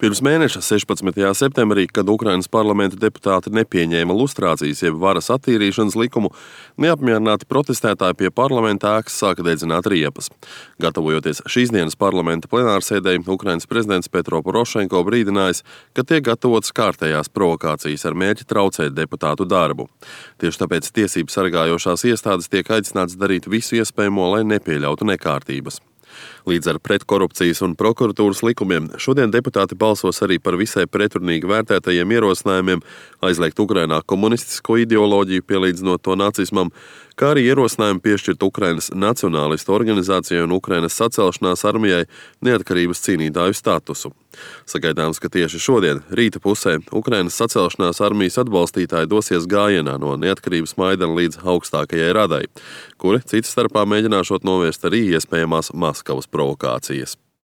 Pirms mēneša 16. septembrī, kad Ukrainas parlamenta deputāti nepieņēma lustrācijas jeb varas attīrīšanas likumu, neapmierināti protestētāji pie parlamenta ēkas sāka dedzināt riepas. Gatavojoties šīs dienas parlamenta plenārsēdei, Ukrainas prezidents Petro Porošenko brīdinājis, ka tiek gatavotas kārtējās provokācijas ar mērķi traucēt deputātu darbu. Tieši tāpēc tiesību sargājošās iestādes tiek aicināts darīt visu iespējamo, lai nepieļautu nekārtības. Līdz ar pretkorupcijas un prokuratūras likumiem šodien deputāti balsos arī par visai pretrunīgi vērtētajiem ierosinājumiem aizliegt Ukrainā komunistisko ideoloģiju, pielīdzinot to nacismam, kā arī ierosinājumu piešķirt Ukrainas nacionālistu organizācijai un Ukrainas sacelšanās armijai neatkarības cīnītāju statusu. Sagaidāms, ka tieši šodien, rīta pusē, Ukrainas sacelšanās armijas atbalstītāji dosies gājienā no neatkarības Maidana līdz augstākajai radai, kuri citas starpā mēģināšot novērst arī iespējamās Maskavas provokācijas.